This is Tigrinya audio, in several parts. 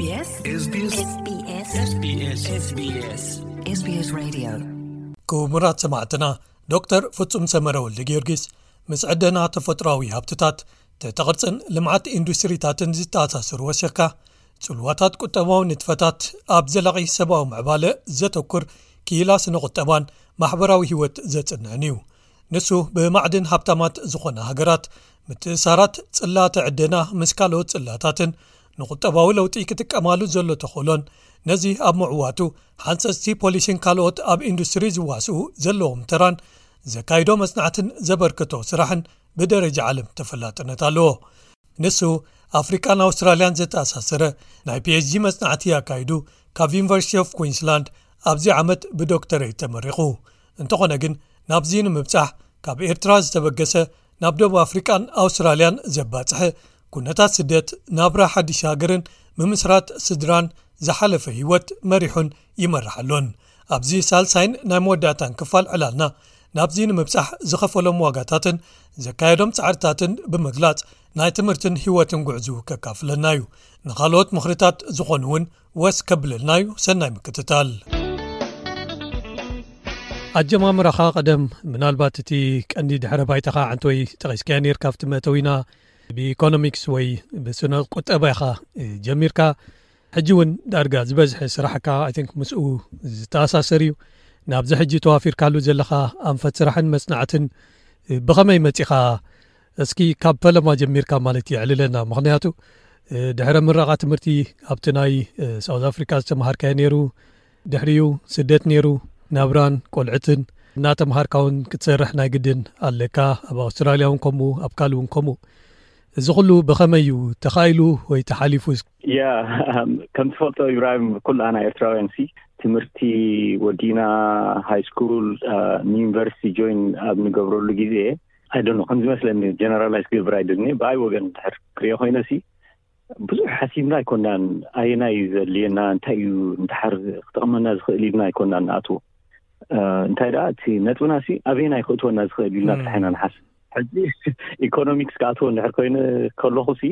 SBS SBS SBS SBS Radio. ክቡራት ሰማዕትና፣ ዶክተር ፍጹም ሰመረ ወልደ ጊዮርጊስ፣ ምስ ዕደና ተፈጥሮኣዊ ሃብትታት፣ ትሕተ ቅርጽን ልምዓት ኢንዱስትሪታትን ዝተኣሳሰሩ ወሲኽካ፣ ጽልዋታት ቁጠባዊ ንጥፈታት ኣብ ዘላቒ ሰብኣዊ ምዕባለ ዘተኩር ክኢላ ስነ ቁጠባን ማሕበራዊ ህይወት ዘጽንዕን እዩ። ንሱ ብማዕድን ሃብታማት ዝኾና ሃገራት ምትእሳራት ጽላተ ዕደና ምስ ካልኦት ጽላታትን ንቁጠባዊ ለውጢ ክጥቀማሉ ዘሎ ተኽእሎን፣ ነዚ ኣብ ምዕዋቱ ሓንጸጽቲ ፖሊሲን ካልኦት ኣብ ኢንዱስትሪ ዝዋስኡ ዘለዎም ተራን፣ ዘካይዶ መጽናዕትን ዘበርከቶ ስራሕን ብደረጃ ዓለም ተፈላጥነት ኣለዎ። ንሱ ኣፍሪቃን ኣውስትራልያን ዘተኣሳሰረ ናይ ፒኤችዲ መጽናዕቲ ኣካይዱ፣ ካብ ዩኒቨርሲቲ ኦፍ ኩዊንስላንድ ኣብዚ ዓመት ብዶክተሬት ተመሪቑ። እንተኾነ ግን፣ ናብዚ ንምብጻሕ ካብ ኤርትራ ዝተበገሰ፣ ናብ ደቡብ ኣፍሪቃን ኣውስትራልያን ዘባጽሐ፣ ኩነታት ስደት፣ ናብራ ሓድሽ ሃገርን ምምስራት ስድራን ዝሓለፈ ህይወት መሪሑን ይመርሓሉን። ኣብዚ ሳልሳይን ናይ መወዳእታን ክፋል ዕላልና፣ ናብዚ ንምብጻሕ ዝኸፈሎም ዋጋታትን ዘካየዶም ጻዕርታትን ብምግላጽ፣ ናይ ትምህርትን ህይወትን ጉዕዙ ከካፍለና እዩ። ንኻልኦት ምኽርታት ዝኾኑ እውን ወስ ከብለልና እዩ። ሰናይ ምክትታል። ኣጀማምራኻ ቀደም፣ ምናልባት እቲ ቀንዲ ድሕረ ባይታኻ ዓንተወይ ጠቒስካዮ ነይርካ ኣብቲ መእተዊና፣ ብኢኮኖሚክስ ወይ ብስነ ቁጠባ ኢኻ ጀሚርካ። ሕጂ እውን ዳርጋ ዝበዝሐ ስራሕካ፣ I think፣ ምስኡ ዝተኣሳሰር እዩ። ናብዚ ሕጂ ተዋፊርካሉ ዘለኻ ኣንፈት ስራሕን መጽናዕትን ብኸመይ መጺኻ? እስኪ ካብ ፈለማ ጀሚርካ ማለት የዕልለና። ምኽንያቱ፣ እ፣ ድሕረ ምረቓ ትምህርቲ ኣብቲ ናይ፣ እ፣ ሳውዝ ኣፍሪካ ዝተምሃርካዮ ነይሩ፣ ድሕሪኡ ስደት ነይሩ፣ ናብራን ቆልዕትን እናተምሃርካ እውን ክትሰርሕ ናይ ግድን ኣለካ። ኣብ ኣውስትራልያ እውን ከምኡ፣ ኣብ ካልእ እውን ከምኡ። እዚ ኩሉ ብኸመይ እዩ ተኻኢሉ ወይ ተሓሊፉ? ያ፣ ከም ትፈልጦ ኢብራሂም፣ ኩላና ኤርትራውያን ሲ ትምህርቲ ወዲና፣ ሃይ ስኩል፣ አ፣ ንዩኒቨርሲቲ ጆይን ኣብ ንገብረሉ ግዜ፣ I don't know፣ ከም ዝመስለኒ፣ ጀነራላይዝ ክገብር ኣይደልን እየ። ብኣይ ወገን እንድሕር ክሪኦ ኮይነ ሲ፣ ብዙሕ ሓሲብና ኣይኮናን፣ ኣየናይ እዩ ዘድልየና፣ እንታይ እዩ እንድሓር ክጠቕመና ዝኽእል ኢልና ኣይኮናን ንኣትዎ። እ፣ እንታይ ደኣ፣ እቲ ነጥብና ሲ ኣበየናይ ክእትወና ዝኽእል ኢልና ጥራሕ ኢና ንሓስብ። ሕጂ ኢኮኖሚክስ ክኣትዎ እንድሕር ኮይነ ከለኹ ሲ፣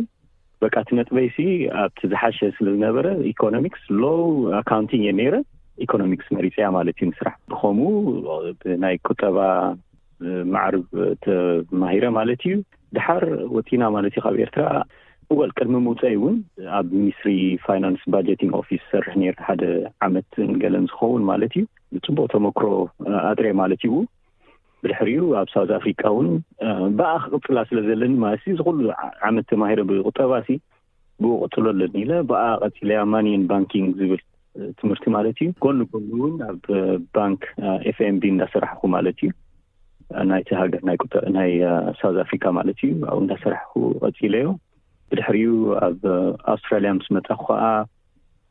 በቃ እቲ ነጥበይ ሲ ኣብቲ ዝሓሸ ስለ ዝነበረ፣ ኢኮኖሚክስ፣ ሎው፣ ኣካውንቲንግ እየ ነይረ። ኢኮኖሚክስ መሪጸያ ማለት እዩ ንስራሕ። ብኸምኡ ብናይ ቁጠባ ማዕርብ ተማሂረ ማለት እዩ። ድሓር ወፂና ማለት እዩ ካብ ኤርትራ። እወል፣ ቅድሚ ምውፀይ እውን ኣብ ሚኒስትሪ ፋይናንስ ባጀቲንግ ኦፊስ ሰርሕ ነይረ፣ ሓደ ዓመት ገለን ዝኸውን ማለት እዩ። ፅቡቅ ተመክሮ ኣጥሬ ማለት እዩ። ብድሕሪኡ ኣብ ሳውዝ ኣፍሪካ እውን፣ እ፣ ብኣ ክቕፅላ ስለ ዘለኒ ማለት እዩ። እዚ ኩሉ ዓ-፣ ዓመት ተማሂረ ብቁጠባ ሲ ብኡ ቀፅሎ ኣለኒ ኢለ ብኣ ቀፂለያ። ማኒን ባንኪንግ ዝብል፣ እ፣ ትምህርቲ ማለት እዩ። ጎን ጎን እውን ኣብ፣ እ፣ ባንክ፣ እ፣ ኤፍ ኤን ቢ እንዳሰራሕኩ ማለት እዩ። እ፣ ናይቲ ሃገር ናይ ቁጠ-፣ ናይ፣ እ፣ ሳውዝ ኣፍሪካ ማለት እዩ። ኣብኡ እንዳሰራሕኩ ቀፂለዮ። ብድሕሪኡ ኣብ፣ እ፣ ኣውስትራልያ ምስ መፃኹ ከዓ፣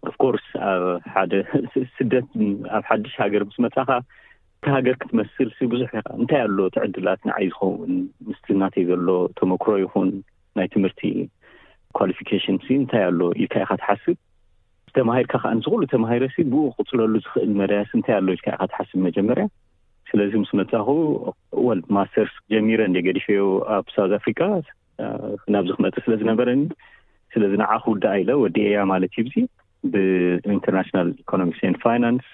ኦፍኮርስ፣ ኣብ ሓደ ስ-፣ ስደት፣ ኣብ ሓድሽ ሃገር ምስ መፃኻ፣ እቲ ሃገር ክትመስል ሲ ብዙሕ ኢኻ። እንታይ ኣሎ እቲ ዕድላት ንዓይ ዝኸውን? ምስቲ ናተይ ዘሎ ተመክሮ ይኹን ናይ ትምህርቲ ኳሊፊኬሽን ሲ እንታይ ኣሎ ኢልካ ኢኻ ትሓስብ። ዝተማሂርካ ከኣ፣ ንዚ ኩሉ ተማሂረ ሲ ብኡ ክቕጽለሉ ዝኽእል መዳያስ እንታይ ኣሎ ኢልካ ኢኻ ትሓስብ መጀመርያ። ስለዚ ምስ መጻኹ፣ ወል ማስተርስ ጀሚረ እንደ ገዲፈዮ ኣብ ሳውዝ ኣፍሪካ፣ እ፣ ናብዚ ክመጽእ ስለ ዝነበረኒ፣ ስለዚ ንዓ ክውድኣ ኢለ ወዲኤያ ማለት እዩ። ብዚ ብኢንተርናሽናል ኢኮኖሚክስ ኤንድ ፋይናንስ፣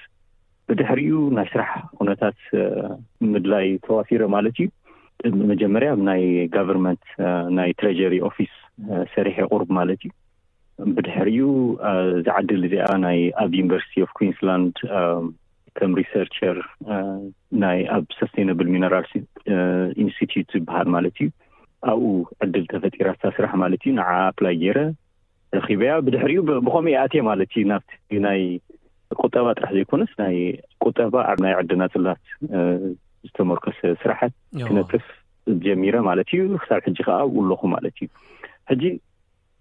ብድሕሪኡ ናይ ስራሕ ኩነታት፣ እ፣ ምድላይ ተዋፊረ ማለት እዩ። መጀመርያ ኣብ ናይ ጋቨርንመንት፣ እ፣ ናይ ትሬጀሪ ኦፊስ፣ እ፣ ሰሪሐ ቁሩብ ማለት እዩ። ብድሕሪኡ፣ እ፣ ዝዓድል እዚኣ ናይ ኣብ ዩኒቨርሲቲ ኦፍ ኩዊንስላንድ፣ እ፣ ከም ሪሰርቸር፣ እ፣ ናይ ኣብ ሰስቴናብል ሚነራልስ፣ እ፣ ኢንስቲትዩት ዝበሃል ማለት እዩ። ኣብኡ ዕድል ተፈጢራ እታ ስራሕ ማለት እዩ። ንዓ ኣፕላይ ገይረ ረኺበያ። ብድሕሪኡ ብ-፣ ብኸምኡ እየ ኣትየ ማለት እዩ። ናብቲ ናይ ቁጠባ ጥራሕ ዘይኮነስ፣ ናይ ቁጠባ ኣብ ናይ ዕድና ጽላት፣ እ፣ ዝተመርኮሰ ስራሓት እዎ። ክነጥፍ ጀሚረ ማለት እዩ። ክሳብ ሕጂ ከኣ ኣብኡ ኣለኹ ማለት እዩ። ሕጂ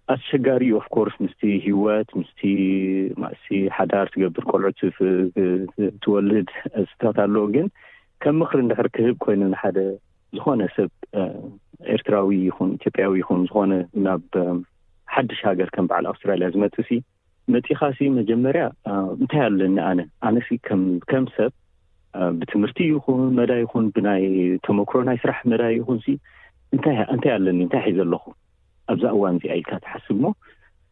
ኣስቸጋሪ እዩ፣ ኦፍ ኮርስ፣ ምስቲ ህይወት፣ ምስቲ ማእሲ ሓዳር ትገብር፣ ቆልዑ ትፍ-፣ ት-፣ ትወልድ፣ እዚታት ኣለዎ። ግን ከም ምኽሪ እንድሕር ክህብ ኮይኑ፣ ንሓደ ዝኾነ ሰብ፣ እ፣ ኤርትራዊ ይኹን ኢትዮጵያዊ ይኹን፣ ዝኾነ ናብ፣ እ፣ ሓድሽ ሃገር ከም በዓል ኣውስትራልያ ዝመጽእ ሲ፣ መጺኻ ሲ መጀመርያ፣ እ፣ እንታይ ኣለኒ ኣነ? ኣነ ሲ ከም፣ ከም ሰብ፣ እ፣ ብትምህርቲ ይኹን መዳይ ይኹን፣ ብናይ ተመክሮ ናይ ስራሕ መዳይ ይኹን ሲ፣ እንታይ፣ እንታይ ኣለኒ? እንታይ ሒዘ ኣለኹ? ኣብዛ እዋን እዚኣ ኢልካ ትሓስብ እሞ፣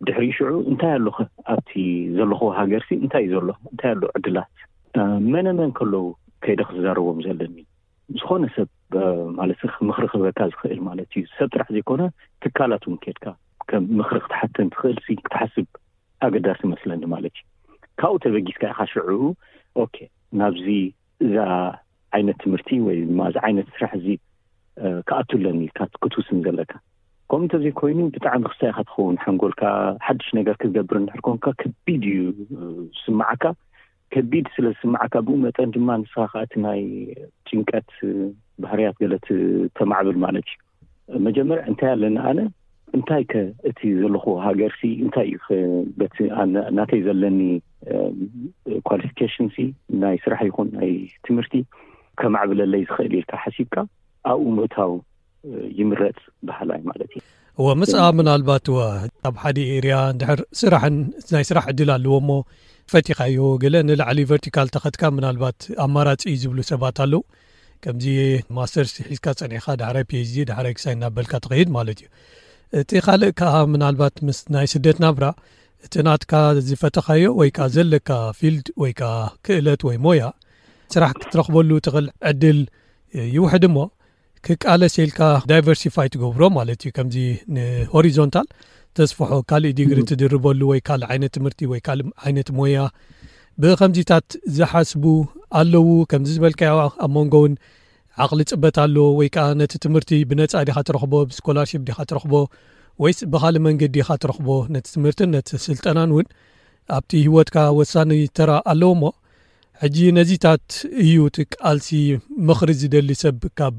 ድሕሪ ሽዑ እንታይ ኣሎ ኣብቲ ዘለኹ ሃገርሲ እንታይ እዩ ዘሎ እንታይ ኣሎ ዕድላት መነ መን ከለዉ ከይደ ክዛረቦም ዘለኒ ዝኾነ ሰብ ማለት ምኽሪ ክበካ ዝኽእል ማለት እዩ ሰብ ጥራሕ ዘይኮነ ትካላት እውን ከድካ ከም ምኽሪ ክትሓተን ትኽእል ክትሓስብ ኣገዳሲ መስለኒ ማለት እዩ ካብኡ ተበጊስካ ኢኻ ሽዑ ኦኬ ናብዚ እዛ ዓይነት ትምህርቲ ወይ ድማ እዚ ዓይነት ስራሕ እዚ ክኣቱ ኣለኒ ክትውስን ዘለካ ከምኡ እንተዘይኮይኑ ብጣዕሚ ክሳይ ኢኻ ትኸውን ሓንጎልካ ሓድሽ ነገር ክትገብር እንድሕር ኮንካ ከቢድ እዩ ዝስምዓካ ከቢድ ስለ ዝስምዓካ ብኡ መጠን ድማ ንስኻ ከዓ እቲ ናይ ጭንቀት ባህርያት ገለ ተማዕብል ማለት እዩ መጀመርያ እንታይ ኣለኒ ኣነ እንታይ ከ እቲ ዘለኹ ሃገር ሲ እንታይ እዩ በቲ ናተይ ዘለኒ ኳሊፊኬሽን ሲ ናይ ስራሕ ይኹን ናይ ትምህርቲ ከማዕብለለይ ዝኽእል ኢልካ ሓሲብካ ኣብኡ ምእታው ይምረፅ በሃላይ ማለት እዩ። እወ ምስኣ ምናልባት እወ ኣብ ሓደ ኤርያ እንድሕር ስራሕን ናይ ስራሕ ዕድል ኣለዎ እሞ ፈቲኻዮ ገለ ንላዕሊ ቨርቲካል ተኸትካ ምናልባት ኣማራፂ እዩ ዝብሉ ሰባት ኣለዉ። ከምዚ ማስተርስ ሒዝካ ፀኒሕካ ዳሕራይ ፒኤችዲ ዳሕራይ ክሳይ እናበልካ ትኸይድ ማለት እዩ። እቲ ካልእ ከዓ ምናልባት ምስ ናይ ስደት ናብራ እቲ ናትካ ዝፈተኻዮ ወይ ከዓ ዘለካ ፊልድ ወይ ከዓ ክእለት ወይ ሞያ ስራሕ ክትረኽበሉ ትኽእል ዕድል ይውሕድ እሞ ክቃለስ ኢልካ ዳይቨርሲፋይ ትገብሮ ማለት እዩ። ከምዚ ንሆሪዞንታል ተስፍሖ ካልእ ዲግሪ ትድርበሉ ወይ ካልእ ዓይነት ትምህርቲ ወይ ካልእ ዓይነት ሞያ ብኸምዚታት ዝሓስቡ ኣለዉ። ከምዚ ዝበልካዮ ኣብ መንጎ እውን ዓቕሊ ፅበት ኣሎ ወይ ከዓ ነቲ ትምህርቲ ብነፃ ዲኻ ትረኽቦ ብስኮላርሽፕ ዲኻ ትረኽቦ ወይስ ብኻልእ መንገዲ ኢኻ ትረኽቦ ነቲ ትምህርትን ነቲ ስልጠናን እውን ኣብቲ ህይወትካ ወሳኒ ተራ ኣለዎ እሞ ሕጂ ነዚታት እዩ እቲ ቃልሲ ምኽሪ ዝደሊ ሰብ ካብ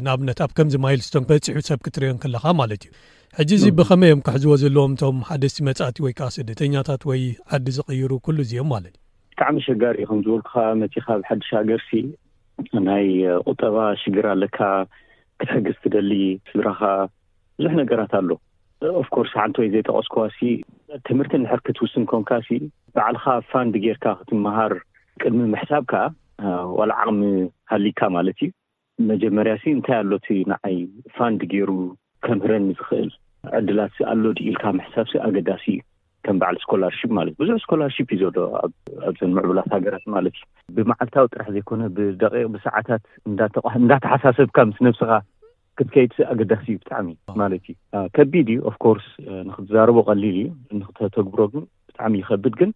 ንኣብነት ኣብ ከምዚ ማይልስቶን በፂሑ ሰብ ክትሪኦ ከለኻ ማለት እዩ። ሕጂ እዚ ብኸመይ እዮም ክሕዝዎ ዘለዎም እቶም ሓደስቲ መፃእቲ ወይ ከዓ ስደተኛታት ወይ ዓዲ ዝቕይሩ ኩሉ እዚኦም ማለት እዩ። ብጣዕሚ ኣሸጋሪ እዩ ከም ዝበልኩኻ መፂኻ ኣብ ሓድሽ ሃገር ሲ ናይ ቁጠባ ሽግር ኣለካ ክትሕግዝ ትደሊ ስድራኻ ብዙሕ ነገራት ኣሎ። ኦፍኮርስ ሓንቲ ወይ ዘይጠቐስኩዋ ሲ ትምህርቲ እንድሕር ክትውስን ኮንካ ሲ ባዕልኻ ፋንድ ጌርካ ክትመሃር ቅድሚ ምሕሳብ ከዓ ዋላ ዓቕሚ ሃሊካ ማለት እዩ መጀመርያ ሲ እንታይ ኣሎ እቲ ንዓይ ፋንድ ገይሩ ከምህረኒ ዝኽእል ዕድላት ኣሎ ድዩ ኢልካ ምሕሳብ ሲ ኣገዳሲ እዩ። ከም በዓል ስኮላርሽፕ ማለት ብዙሕ ስኮላርሽፕ እዩ ዘሎ ኣብዘን ምዕቡላት ሃገራት ማለት እዩ። ብመዓልታዊ ጥራሕ ዘይኮነ ብደቂቕ ብሰዓታት እንዳተሓሳሰብካ ምስ ነብስኻ ክትከይድ ኣገዳሲ እዩ ብጣዕሚ ማለት እዩ። ከቢድ እዩ ኦፍኮርስ ንክትዛረቦ ቀሊል እዩ ንክተተግብሮ ግን ብጣዕሚ ይኸብድ። ግን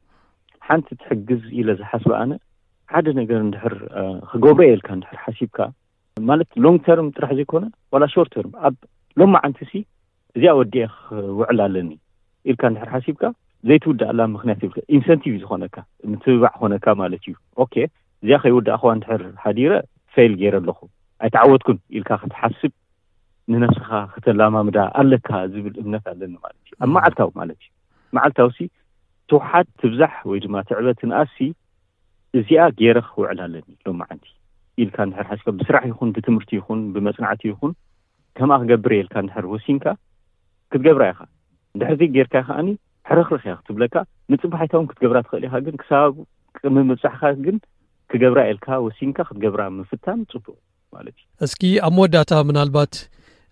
ሓንቲ ትሕግዝ ኢለ ዝሓስበ ኣነ ሓደ ነገር እንድሕር ክገብሮ የልካ እንድሕር ሓሲብካ ማለት ሎንግ ተርም ጥራሕ ዘይኮነ ዋላ ሾርት ተርም ኣብ ሎማዓንቲ ሲ እዚኣ ወዲኤ ክውዕል ኣለኒ ኢልካ እንድሕር ሓሲብካ ዘይትውድኣላ ምክንያት ይብልካ ኢንሰንቲቭ እዩ ዝኾነካ ምትብባዕ ኮነካ ማለት እዩ። ኦኬ እዚኣ ከይውዳእክዋ እንድሕር ሓዲረ ፌል ገይረ ኣለኹ ኣይተዓወትኩን ኢልካ ክትሓስብ ንነብስኻ ከተላማምዳ ኣለካ ዝብል እምነት ኣለኒ ማለት እዩ። ኣብ መዓልታዊ ማለት እዩ መዓልታዊ ሲ ትውሓድ ትብዛሕ ወይ ድማ ትዕበ ትንኣስ ሲ እዚኣ ገይረ ክውዕል ኣለኒ ሎማዓንቲ ኢልካ እንድሕር ሓሲብካ ብስራሕ ይኹን ብትምህርቲ ይኹን ብመፅናዕቲ ይኹን ከምኣ ክገብር እየ ኢልካ እንድሕር ወሲንካ ክትገብራ ኢኻ። እንድሕር ዘይጌርካ ከዓኒ ሕርኽርኽ እያ ክትብለካ ምፅባሕ ኣይታውን ክትገብራ ትኽእል ኢኻ ግን ክሳብ ቅድሚ ምብፃሕካ ግን ክገብራ ኢልካ ወሲንካ ክትገብራ ምፍታን ፅቡቅ ማለት እዩ። እስኪ ኣብ መወዳእታ ምናልባት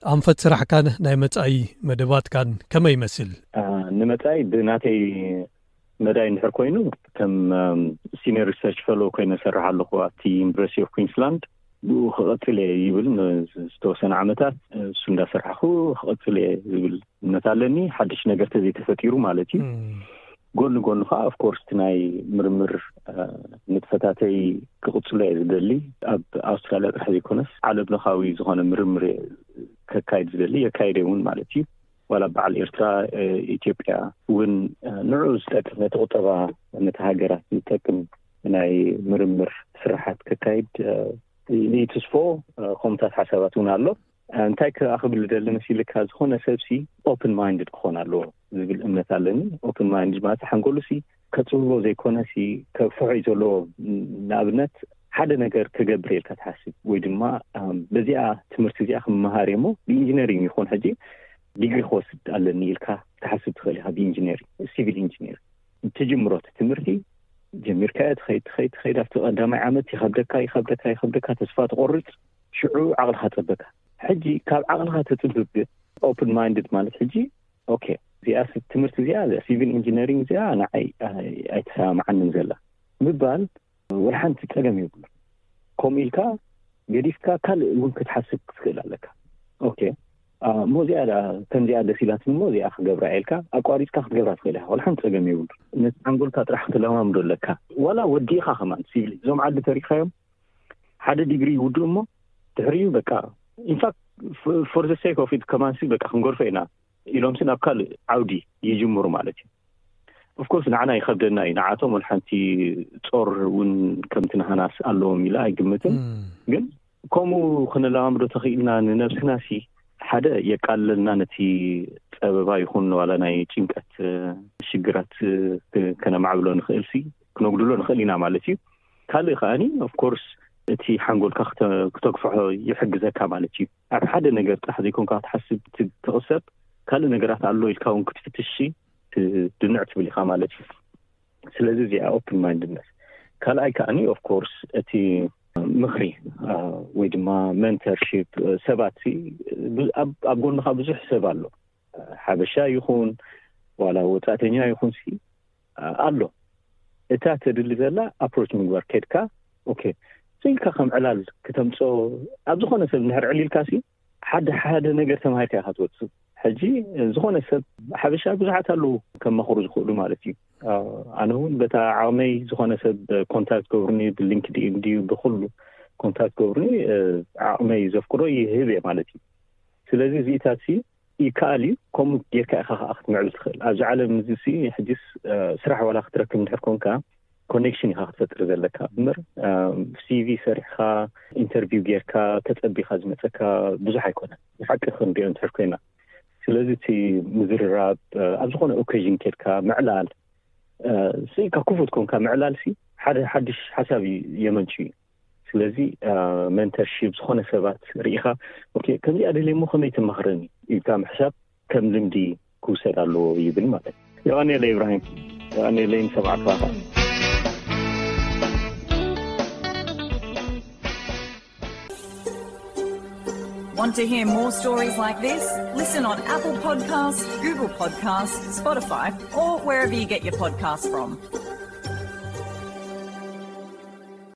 ኣንፈት ስራሕካን ናይ መጻኢ መደባትካን ከመይ ይመስል? ንመጻኢ ብናተይ መዳይ እንድሕር ኮይኑ ከም ሲኒየር ሪሰርች ፈሎ ኮይነ ሰርሕ ኣለኹ ኣብቲ ዩኒቨርሲቲ ኦፍ ኩንስላንድ። ብኡ ክቐጽል እየ ይብል ዝተወሰነ ዓመታት እሱ እንዳሰርሓኹ ክቐጽል እየ ዝብል እምነት ኣለኒ። ሓድሽ ነገር ተዘይተፈጢሩ ማለት እዩ። ጎኒ ጎኒ ከዓ ኦፍኮርስ እቲ ናይ ምርምር ንጥፈታተይ ክቕጽሎ እየ ዝደሊ። ኣብ ኣውስትራልያ ጥራሕ ዘይኮነስ ዓለም ለኻዊ ዝኾነ ምርምር ከካይድ ዝደሊ የካይደ እውን ማለት እዩ። ዋላ በዓል ኤርትራ ኢትዮጵያ እውን ንዑ ዝጠቅም ነቲ ቁጠባ ነቲ ሃገራት ዝጠቅም ናይ ምርምር ስራሓት ከካይድ ይትስፎ። ከምታት ሓሳባት እውን ኣሎ። እንታይ ክኣ ክብል ደሊ መሲልካ ዝኾነ ሰብሲ ኦፕን ማይንድድ ክኾን ኣለዎ ዝብል እምነት ኣለኒ። ኦፕን ማይንድድ ማለት ሓንጎሉ ሲ ከፅብቦ ዘይኮነ ሲ ከፍሖ እዩ ዘለዎ። ንኣብነት ሓደ ነገር ክገብር ኢልካ ትሓስብ ወይ ድማ በዚኣ ትምህርቲ እዚኣ ክመሃር እሞ ብኢንጂነሪንግ ይኹን ሕጂ ዲግሪ ክወስድ ኣለኒ ኢልካ ትሓስብ ትኽእል ኢኻ። ብኢንጂነሪንግ ሲቪል ኢንጂነሪንግ ትጅምሮ እቲ ትምህርቲ ጀሚርካዮ ትኸይድ ትኸይድ ትኸይድ ኣብቲ ቀዳማይ ዓመት ይኸብደካ ይኸብደካ ይኸብደካ ተስፋ ትቆርፅ። ሽዑ ዓቕልኻ ፀበካ። ሕጂ ካብ ዓቕልኻ ተፅብብ ግን ኦፕን ማይንድድ ማለት ሕጂ ኦኬ፣ እዚኣ ትምህርቲ እዚኣ፣ ሲቪል ኢንጂነሪንግ እዚኣ ንዓይ ኣይተሰማማዓንን ዘላ ምባል ወላ ሓንቲ ጸገም የብሉ። ከምኡ ኢልካ ገዲፍካ ካልእ እውን ክትሓስብ ክትክእል ኣለካ። ኦኬ፣ እሞ እዚኣ ከምዚኣ ደስ ኢላትኒ እሞ እዚኣ ክገብራ ኢልካ ኣቋሪፅካ ክትገብራ ትኽእል ኢኻ። ወላ ሓንቲ ጸገም የብሉ። ነቲ ሓንጎልካ ጥራሕ ክትለማምዶ ኣለካ። ዋላ ወዲእኻ ከማን ሲቪል እዞም ዓዲ ተሪኻዮም ሓደ ዲግሪ ይውድኡ እሞ ድሕሪኡ በቃ ኢንፋክት for the sake of it ከማንሲ በቃ ክንገርፎ ኢና ኢሎምሲ ናብ ካልእ ዓውዲ ይጅምሩ ማለት እዩ። ኦፍኮርስ ንዓና ይኸብደና እዩ። ንዓቶም ወላ ሓንቲ ጾር እውን ከምቲ ናህናስ ኣለዎም ኢለ ኣይግምትን። ግን ከምኡ ክንለማምዶ ተኽኢልና ንነብስና ሲ ሓደ የቃልለልና፣ ነቲ ጸበባ ይኹን ዋላ ናይ ጭንቀት ሽግራት ከነማዕብሎ ንኽእል ሲ ክነጉድሎ ንኽእል ኢና ማለት እዩ። ካልእ ከኣኒ ኦፍኮርስ እቲ ሓንጎልካ ክተግፍሖ ይሕግዘካ ማለት እዩ። ኣብ ሓደ ነገር ጥራሕ ዘይኮንካ ክትሓስብ ትቕሰብ፣ ካልእ ነገራት ኣሎ ኢልካ እውን ክትፍትሽ ድንዕ ትብል ኢኻ ማለት እዩ። ስለዚ እዚኣ ኦፕን ማይንድነስ። ካልኣይ ከኣኒ ኦፍኮርስ እቲ ምኽሪ ወይ ድማ ሜንተርሺፕ፣ ሰባት ኣብ ጎንኻ ብዙሕ ሰብ ኣሎ። ሓበሻ ይኹን ዋላ ወፃእተኛ ይኹን ሲ ኣሎ። እታ ተድሊ ዘላ ኣፕሮች ምግባር ከድካ ኦኬ ኢልካ ከም ዕላል ክተምፅኦ ኣብ ዝኾነ ሰብ እንድሕር ዕሊልካ ሲ ሓደ ሓደ ነገር ተማሂርካ ኢኻ ትወፅእ። ሕጂ ዝኾነ ሰብ ሓበሻ ብዙሓት ኣለዉ ከማኽሩ ዝኽእሉ ማለት እዩ። ኣነ እውን በታ ዓቕመይ ዝኾነ ሰብ ኮንታክት ገብርኒ ብሊንክድኢን ድዩ ብኩሉ ኮንታክት ገብርኒ ዓቕመይ ዘፍቅዶ ይህብ እየ ማለት እዩ። ስለዚ እዚኢታት ሲ ይከኣል እዩ። ከምኡ ጌርካ ኢኻ ከዓ ክትምዕብል ትኽእል ኣብዚ ዓለም እዚ ሲ። ሕጂስ ስራሕ ዋላ ክትረክብ እንድሕር ኮንካ ኮኔክሽን ኢኻ ክትፈጥር ዘለካ እምበር ሲቪ ሰሪሕካ ኢንተርቪው ጌርካ ተጸቢኻ ዝመጸካ ብዙሕ ኣይኮነን። ብሓቂ ክንሪኦ እንድሕር ኮይና ስለዚ እቲ ምዝርራብ ኣብ ዝኾነ ኦኬዥን ኬድካ ምዕላል ስኢካ ክፉት ኮንካ ምዕላል ሲ ሓደ ሓድሽ ሓሳብ የመንጩ እዩ። ስለዚ ሜንተርሺፕ ዝኾነ ሰባት ርኢኻ ኦኬ ከምዚኣ ደልየ እሞ ከመይ ተማኽረኒ ኢልካ ምሕሳብ ከም ልምዲ ክውሰድ ኣለዎ ይብል ማለት እዩ። የቐንየለይ ኢብራሂም፣ የቐንየለይ ንሰማዕካ። Want to hear more stories like this? Listen on Apple Podcasts, Google Podcasts, Spotify, or wherever you get your podcasts from.